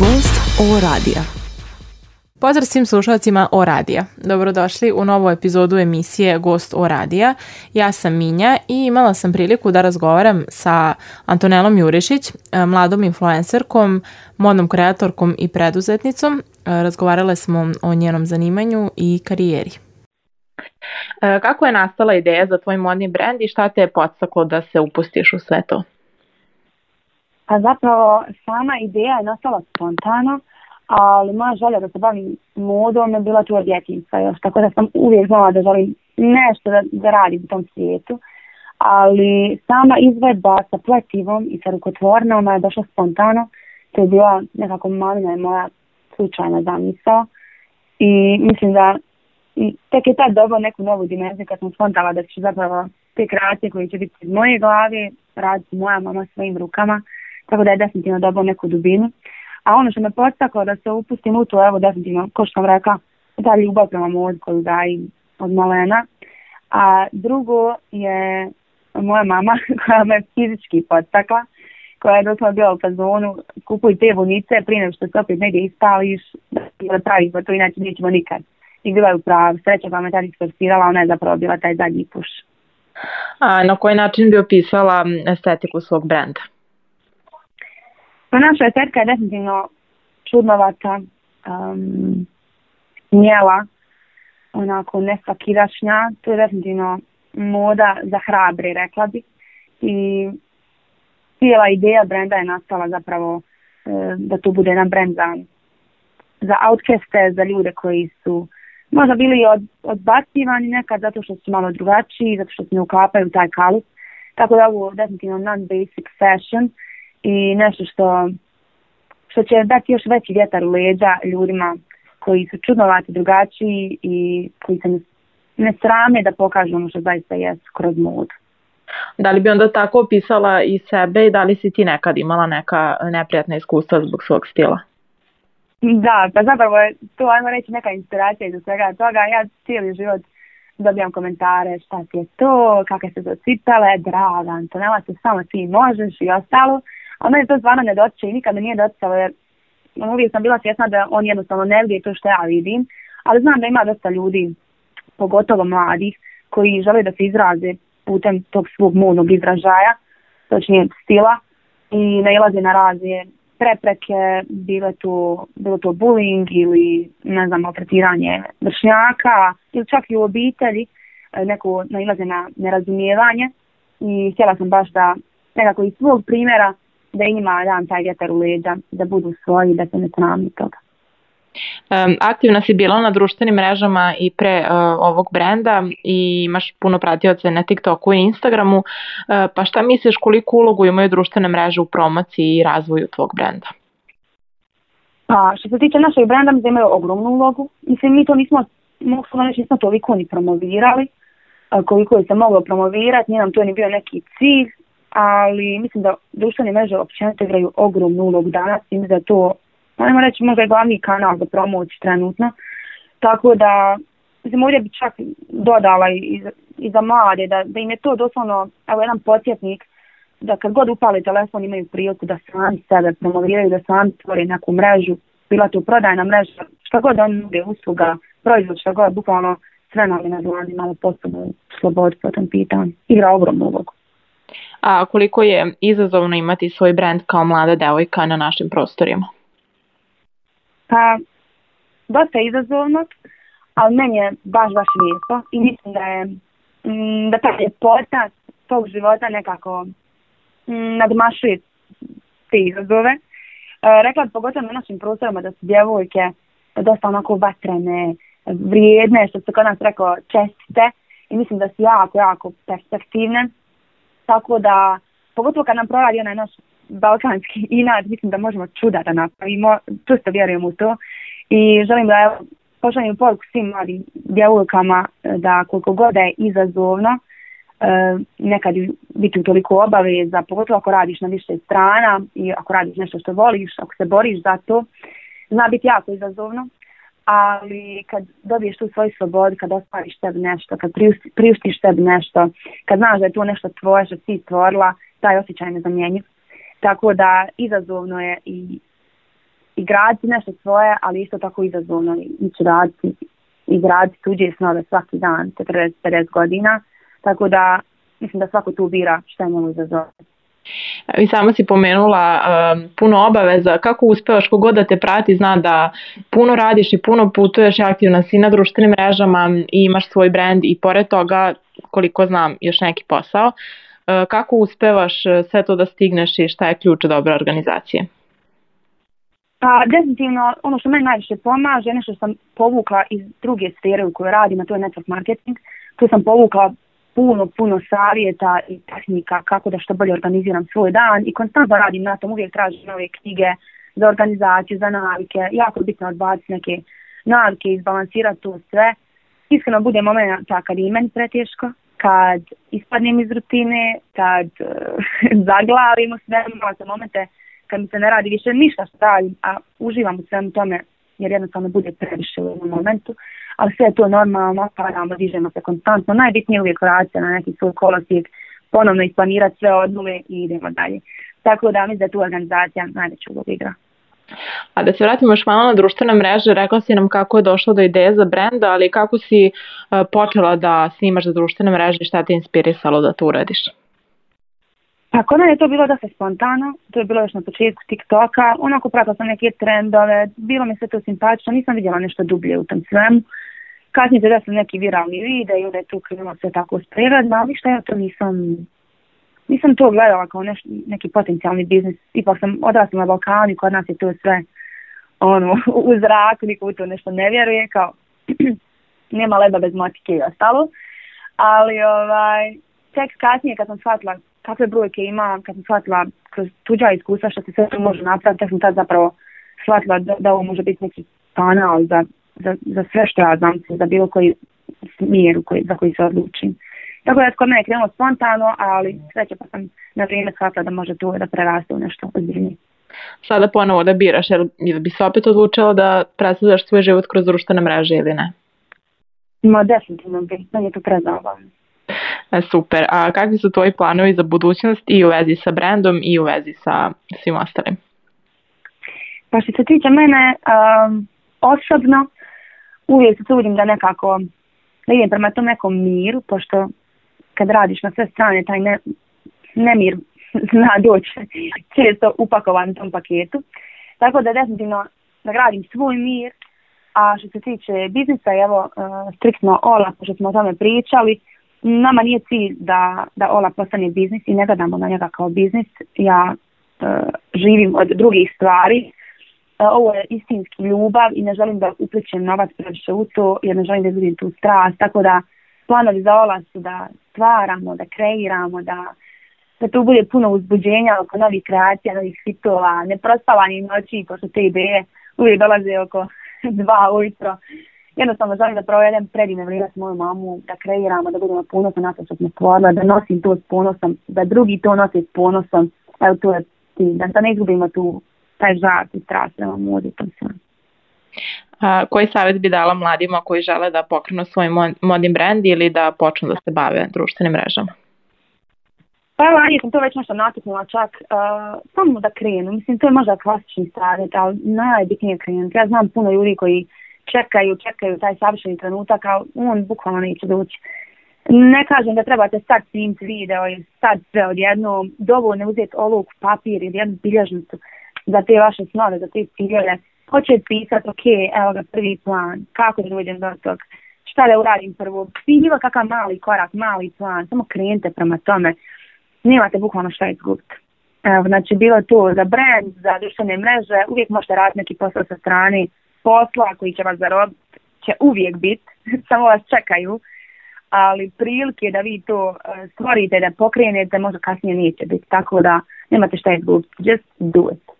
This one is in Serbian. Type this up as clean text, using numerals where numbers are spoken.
Gost O radija. Pozdrav svim slušalcima O radija. Dobrodošli u novu epizodu emisije Gost O radija. Ja sam Minja i imala sam priliku da razgovaram sa Antonelom Jurišić, mladom influencerkom, modnom kreatorkom i preduzetnicom. Razgovarale smo o njenom zanimanju i karijeri. Kako je nastala ideja za tvoj modni brend i šta te je podstaklo da se upustiš u sve to? A zapravo sama ideja je nastala spontano, ali moja želja da se bavim modom je bila tu od djetinjstva još, tako da sam uvijek znala da želim nešto da radim u tom svijetu, ali sama izvedba sa pletivom i sa rukotvornom je došla spontano. To je bila nekako malina i moja slučajna zamisao i mislim da tek je tad dobila neku novu dimenziju kad sam spontala da ću zapravo te kreacije koje će biti iz moje glave raditi moja mama svojim rukama, tako da je definitivno dobila neku dubinu. A ono što me podstaklo da se upustim u to, evo definitivno, ko što sam rekla, ta ljubav prema modu koju gajim od malena. A drugo je moja mama koja me fizički podstakla, koja je doslovno bila u fazonu, kupuj te vunice prije nego što se opet negdje ispališ, da praviš, to inače nećemo nikad. I bila je u pravu, sreća koja me tad isforsirala, ona je zapravo bila taj zadnji puš. A na koji način bi opisala estetiku svog brenda? Pa naša estetika je definitivno čudnovata, smjela, onako nesvakirašnja. To je definitivno moda za hrabre, rekla bi. I cijela ideja brenda je nastala zapravo da to bude jedan brend za outcaste, za ljude koji su možda bili odbacivani nekad zato što su malo drugačiji, zato što se ne uklapaju taj kalup. Tako da ovo je definitivno non-basic fashion i nešto što će dati još veći vjetar u leđa ljudima koji su čudnovati, drugačiji i koji se ne srame da pokažu ono što zaista jesu kroz modu. Da li bi onda tako opisala i sebe i da li si ti nekad imala neka neprijatna iskustva zbog svog stila? Da, pa zapravo je to, ajmo reći, neka inspiracija iz svega toga. Ja cijeli život dobijam komentare šta ti je to, kakve se to cipele, draga Antonela, to samo ti možeš i ostalo. A meni to stvarno ne dotiče i nikada nije doticalo jer uvijek sam bila svjesna da on jednostavno ne vidi to što ja vidim. Ali znam da ima dosta ljudi, pogotovo mladih, koji žele da se izraze putem tog svog modnog izražaja, točnije stila, i nailaze na razne prepreke, bilo to bullying ili ne znam, maltretiranje vršnjaka ili čak i u obitelji neko nailaze na nerazumijevanje i htjela sam baš da nekako iz svog primjera da i njima dam taj vjetar u leđa, da budu svoji, da se ne srami toga. Aktivna si bila na društvenim mrežama i pre ovog brenda i imaš puno pratioca na TikToku i Instagramu, pa šta misliš koliko ulogu imaju društvene mreže u promociji i razvoju tvog brenda? Pa što se tiče našeg brenda, mi imaju ogromnu ulogu. Mislim, mi to nismo toliko ni promovirali, koliko je se moglo promovirati, nije nam to ni bio neki cilj, ali mislim da društvene mreže općenito igraju ogromnu ulogu danas i mislim da to, ajmo reći, možda je glavni kanal za promociju trenutno. Tako da, mislim, ovdje bi čak dodala i za mlade, da im je to doslovno, evo, jedan podsjetnik, da kad god upale telefon imaju priliku da sami sebe promoviraju, da sami stvore neku mrežu, bila to prodajna mreža, šta god on nude, usluga, proizvod, šta god, bukvalno sve nam je na dlani, malo posebno slobodu po tom pitanju. Igra ogromnu ulogu. A koliko je izazovno imati svoj brend kao mlada devojka na našim prostorima? Pa, dosta je izazovno, ali meni je baš lijepo i mislim da ta ljepota tog života nekako nadmašuje te izazove. Rekla pogotovo na našim prostorima da su djevojke dosta onako vatrene, vrijedne, što se kod nas rekao čestite i mislim da su jako perspektivne. Tako da, pogotovo kad nam proradi onaj naš balkanski inat, mislim da možemo čuda da napravimo, čusto vjerujem u to i želim da pošaljem poruku svim mladim djevojkama da koliko god je izazovno, nekad biti toliko obaveza, pogotovo ako radiš na više strana i ako radiš nešto što voliš, ako se boriš za to, zna biti jako izazovno, ali kad dobiješ tu svoju slobodu, kad ostvariš tebi nešto, kad priuštiš tebi nešto, kad znaš da je to nešto tvoje što ti stvorila, taj osjećaj nezamjenjiv. Tako da izazovno je i i graditi nešto svoje, ali isto tako izazovno ići raditi i graditi tuđe snove svaki dan, 40-50 godina, tako da mislim da svako tu bira šta je njemu izazovno. I sama si pomenula puno obaveza, kako uspevaš, kogod da te prati zna da puno radiš i puno putuješ, aktivna si na društvenim mrežama i imaš svoj brand i pored toga, koliko znam, još neki posao. Kako uspevaš sve to da stigneš i šta je ključ dobre organizacije? Definitivno, ono što meni najviše pomaže, nešto što sam povukla iz druge sfere u kojoj radim, a to je network marketing. Tu sam povukla puno savjeta i tehnika kako da što bolje organiziram svoj dan i konstantno radim na tom, uvijek tražim nove knjige za organizaciju, za navike. Jako je bitno odbaciti neke navike i izbalansirati to sve. Iskreno bude momenta kad je meni preteško, kad ispadnem iz rutine, kad zaglavim u svemu, imala sam momente kad mi se ne radi više ništa što radim, a uživam u svemu tome jer jednostavno bude previše u jednom momentu. Ali sve je to normalno, padamo, dižemo se konstantno. Najbitnije je uvijek vratiti na neki svoj kolosijek, ponovno isplanirati sve od nule i idemo dalje. Tako da mislim da tu organizacija najveću ulogu igra. A da se vratimo još malo na društvene mreže, rekla si nam kako je došlo do ideje za brenda, ali kako si počela da snimaš za društvene mreže i šta te inspirisalo da to uradiš? Pa kod mene je to bilo dosta spontano, to je bilo još na početku TikToka, onako pratila sam neke trendove, bilo mi se to simpatično, nisam vidjela nešto dublje u tom svemu. Kasnije se desili neki viralni video i onda je tu krenulo sve tako sprirodno, ali ništa ja to nisam to gledala kao neki potencijalni biznis. Ipak sam odrasla na Balkanu i kod nas je to sve u zraku, niko u to nešto ne vjeruje, kao nema leba bez motike i ostalo. Ali tek kasnije kad sam shvatila kakve brojke ima, kad sam shvatila kroz tuđa iskustva što se sve to može napraviti, tek sam tad zapravo shvatila da ovo može biti neki kanal za sve što ja znam, za bilo koji smjer za koji se odlučim. Tako da kod mene je krenulo spontano, ali sreće pa sam na vrijeme shvatila da može to da preraste u nešto ozbiljnije. Sada ponovo da biraš, ili bi se opet odlučila da predstavljaš svoj život kroz društvene mreže ili ne? Definitivno bi, meni je to prezabavno. Super. A kakvi su tvoji planovi za budućnost i u vezi sa brandom i u vezi sa svim ostalim? Pa što se tiče mene, osobno uvijek se trudim da nekako da idem prema tom nekom miru, pošto kad radiš na sve strane, taj nemir zna doći često upakovan u tom paketu. Tako da definitivno da gradim svoj mir, a što se tiče biznisa, evo, striktno Ola, pošto smo o tome pričali, nama nije cilj da Ola postane biznis i ne gledamo na njega kao biznis. Ja živim od drugih stvari. Ovo je istinski ljubav i ne želim da upličem novac previše u to jer ne želim da izgubim tu strast. Tako da planovi za Ola su da stvaramo, da kreiramo, da tu bude puno uzbuđenja oko novih kreacija, novih hitova, neprospavanih noći, pošto te ideje uvijek dolaze oko 2 ujutro. Jednostavno želim da provedem predivne vrijeme s mojom mamu, da kreiramo, da budemo ponosni na to što smo stvorili, da nosim to s ponosom, da drugi to nose s ponosom. Evo to je da ne izgubimo taj žar i strast prema modi. Koji savjet bi dala mladima koji žele da pokrenu svoj modni brand ili da počnu da se bave društvenim mrežama? Pa evo, ranije sam to već nešto natuknula čak, samo da krenu. Mislim, to je možda klasični savjet, ali najbitnije krenuti. Ja znam puno ljudi koji čekaju taj savršeni trenutak, ali on bukvalno neće doći. Ne kažem da trebate sad snimiti video i sad sve odjednom, dovoljno uzeti olovku, papir ili jednu bilježnicu za te vaše snove, za te ciljeve. Hoće pisati, ok, evo ga prvi plan, kako da dođem do tog, šta da uradim prvo, bilo kakav mali korak, mali plan, samo krenite prema tome, nemate bukvalno šta izgubiti. Znači bilo to za brand, za društvene mreže, uvijek možete raditi neki posao sa strane, posla koji će vas zarobiti će uvijek biti, samo vas čekaju, ali prilike da vi to stvorite, da pokrenete, možda kasnije neće biti, tako da nemate šta izgubiti, just do it.